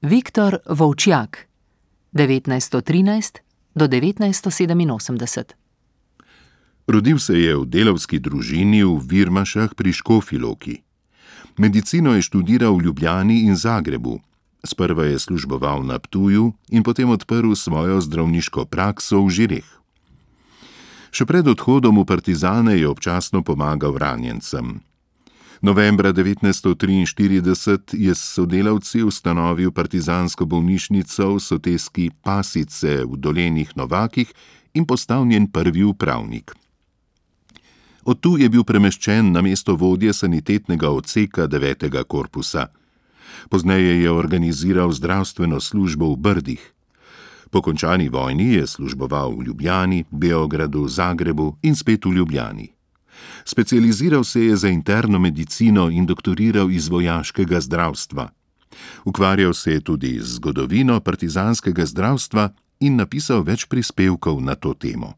Viktor Vovčjak, 1913 do 1987. Rodil se je v delavski družini v Virmašah pri Škofji Loki. Medicino je študiral v Ljubljani in Zagrebu. Sprva je služboval na Ptuju in potem odprl svojo zdravniško prakso v Žireh. Še pred odhodom v partizane je občasno pomagal ranjencem. Novembra 1943 je s sodelavci ustanovil partizansko bolnišnico v soteski Pasice v Dolenjih Novakih in postal njen prvi upravnik. Od tu je bil premeščen na mesto vodje sanitetnega odseka 9. korpusa. Pozneje je organiziral zdravstveno službo v Brdih. Po končani vojni je služboval v Ljubljani, Beogradu, Zagrebu in spet v Ljubljani. Specializiral se je za interno medicino in doktoriral iz vojaškega zdravstva. Ukvarjal se je tudi z zgodovino partizanskega zdravstva in napisal več prispevkov na to temo.